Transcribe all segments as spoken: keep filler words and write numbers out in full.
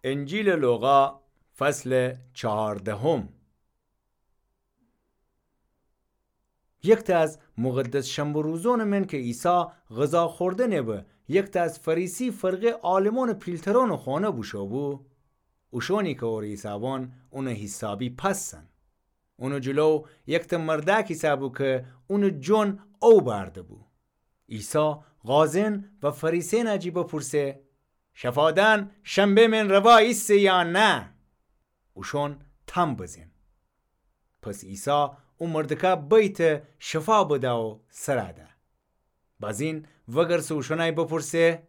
انجیلٚ لوقا، فصلٚ چهاردهم. یکتأ از مقدس شنبه روزونٚ من کی عیسی غذا خوردنٚ به، یکتأ از فریسی فرقه عالمونٚ پیلترونٚ خونه بوشو بو، اوشونی کی اوره ایسابان اونٚ حیسابی پسن. اونٚ جلو یکتأ مردأک ایسه بو کی اونٚ جون او بأرده بو. عیسی قاضی‌یأن و فریسی‌یأن جی بپرسه: شفا دأن شنبه من روا ایسه یا نه؟ اوشون تام بزین. پس عیسی او مردکه بیته شفا بده و سره ده. بازین وگرسه اوشونأی بپرسه: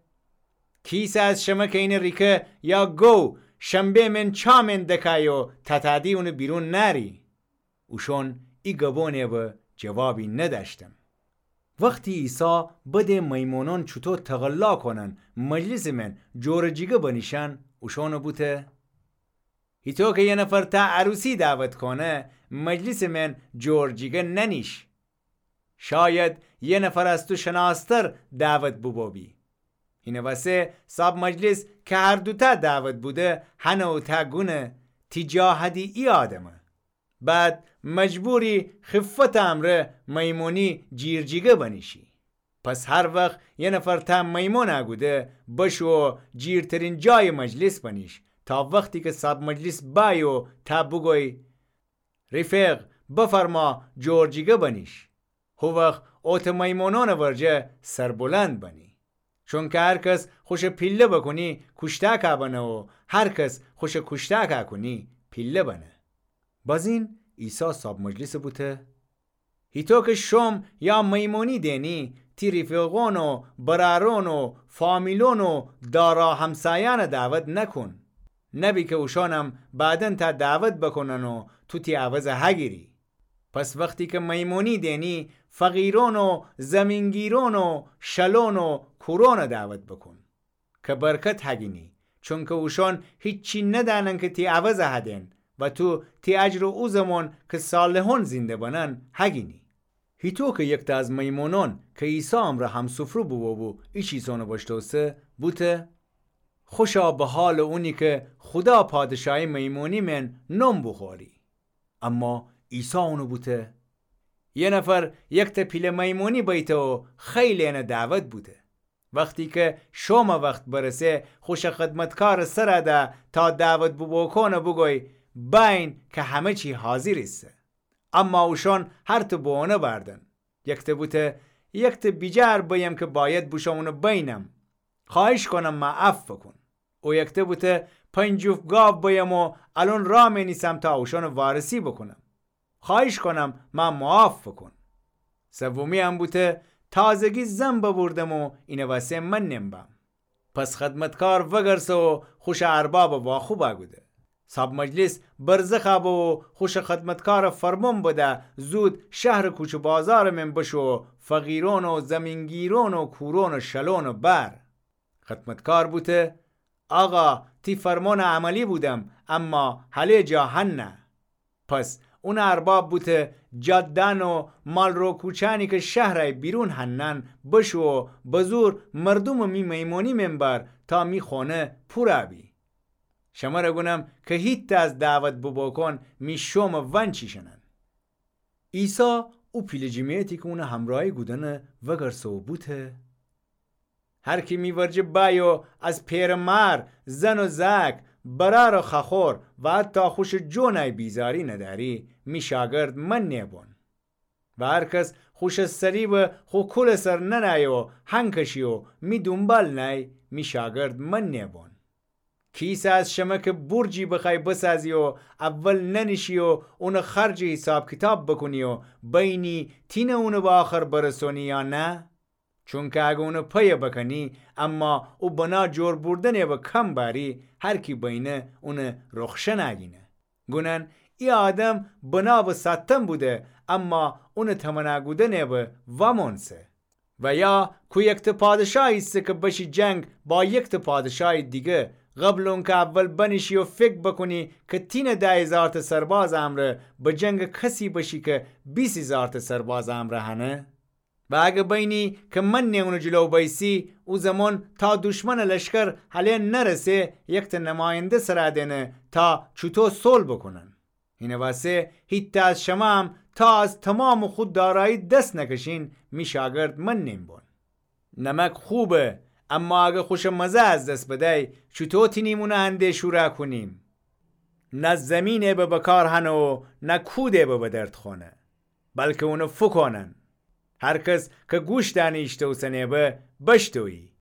کیسه از شمه کی اینه ریکه یا گو شنبه من چا من دکأی و تتأدی اونٚ بیرون نأری؟ اوشون ای گبونٚ به جوابی ندأشتن. وختی عیسی بده میمونون چوطو تقلا کونن مجلسٚ من جور جیگه بنیشن، اوشون بوته: هیطو کی یه نفر تا عروسی دعوت کونه، مجلسٚ من جور جیگه ننیش. شاید یه نفر از تو شناستر دعوت بوبو بی. هینٚ وسه صاب مجلس کی هر دوتأ دعوت بوده، هنه اوتأ گونه: تی جا هدی ای آدمه. بعد مجبوری خفتٚ امرأ میمونی جیر جیگه بنیشی. پس هر وخت یه نفر تا میمون اگوده، بشو جیرترین جایٚ مجلس بنیش، تا وختی کی صاب مجلس بأی و تا بوگوی: ریفق، بفرما جور جیگه بنیش. هو وخت اوتٚ میمونونٚ ورجه سربلند بنی. چونکی هر کس خوشٚ پیله بکونی کوشتأکأ بنه و هر کس خوشٚ کوشتأکأ کونی پیله بنه. بازین عیسی صاب مجلسٚ بوته: هیطو کی شوم یا میمونی دینی، تی ریفقون و برأرون و فامیلون و دارا همسایأنٚ دعوت نکون. نبی کی اوشونم بعداً تا دعوت بکونن و تو تی عوضه هگیری. پس وختی کی میمونی دینی، فقیرون و زمینگیرون و شلون و کورونٚ دعوت بکون. کی برکت هگینی، چونکی اوشون هیچی ندأنن کی تی عوضه هدین و تو تی اجرٚ او زمون کی صالحون زینده بنن هگینی. هیطو کی یکتأ از میمونون کی عیسی امرأ همسفره بوبو بو، ای چیسونٚ بشتوسه، بوته: خوشا به حالٚ اونی کی خودا پادشاهی میمونی من نون بوخوری. اما عیسی اونٚ بوته: یه نفر یکتأ پیله میمونی بیته و خیلی انه دعوت بوده. وختی کی شومٚ وخت برسه، خوشٚ خدمتکارٚ سره ده تا دعوت بوبوکونٚ بوگوی: بأیین کی همه چی حاضر ایسه. اما اوشون هرتأ بهونه بردن. یکتأ بوته: یکتأ بیجار بیم کی باید بوشوم اونٚ بینم. خوأهیش کونم مه عفو بوکون. او یکتأ بوته: پنج جفت گاو بیم و الأن رأ مینیسم تا اوشونٚ وارسی بوکونم. خوأهیش کونم مه معاف بوکون. سومی‌یم بوته: تازگی زن ببوردم و اینٚ وسه من نمبم. پس خدمتکار وگرسه و خوشٚ اربابٚ واخوب اگوده. صاب مجلس برزخ ابه و خوشٚ خدمتکارٚ فرمون بده زود شهرٚ کوچه بازارٚ من بشو و فقیرون و زمینگیرون و کورون و شلونٚ بأر. خدمتکار بوته: آقا، تی فرمونٚ عملی بودم، اما هله جا هنه. پس اونٚ ارباب بوته: جاده‌یأن و مالرو کوچه‌یأنی کی شهرٚ بیرون هنن، بشو و بزور مردومٚ می میمونی من بأر تا می خونه پورَ بی. شمره گونم کی هیتأ از دعوت بوبوکون می شومٚ ونچیشنن. عیسی او پیله جمعیتی کی اونٚ همرأیی گودنٚ وگرسه و بوته: هر کی می ورجه بأیه و از پئرٚ مار، زن و زأک، برأر و خوأخور و حتی خوشٚ جونأی بیزاری ندأری، می شاگرد من نیبون. و هر کس خوشٚ صلیبٚ خو کولٚ سر ننأیه و هنکشی و می دونبال نأی، می شاگرد من نیبون. کیسه از شمه کی بورجی بخوأی بسازی و اول ننیشی و اونٚ خرجٚ حیساب کیتاب بوکونی و بینی تینه اونٚ به آخر برسونی یا نه؟ چونکی اگر اونٚ پیه بکنی، اما او بنا جور بوردنٚ به کم بأری، هر کی بینه اونٚ رخشن اگینه. گونن ای آدم بنا به سأتن بوده، اما اونٚ تمنا گودنٚ به وامونسه. و یا کو یکتأ پادشاهی ایسه کی بشی جنگ با یکتأ پادشاهی دیگه، قبل اونکی اول بنیشی و فکر بوکونی کی تینه ده هیزارتأ سربازٚ امرأ به جنگٚ کسی بشی کی بیس هیزارتأ سربازٚ امرأ هنه؟ و اگه بینی که منه اونٚ جلو بیسی، او زمان تا دشمنٚ لشکر هله نرسه، یکته نماینده سر دئنه تا چوطو صلح بوکونن. اینه واسه هیتأ از شمام تا از تومامٚ خو دارایی دس نکشین، می شاگرد منین بون. نمک خوبه، اما اگه خوشٚ مزه از دس بدی، چوطو تینیم اونه هنده شورا کونیم؟ نه زمینه به بکار هنه و نه کوده به به درد خونه، بلکه اونه فوکونن. هر کس که گوش دانیشته اوسنه به، بشتویی.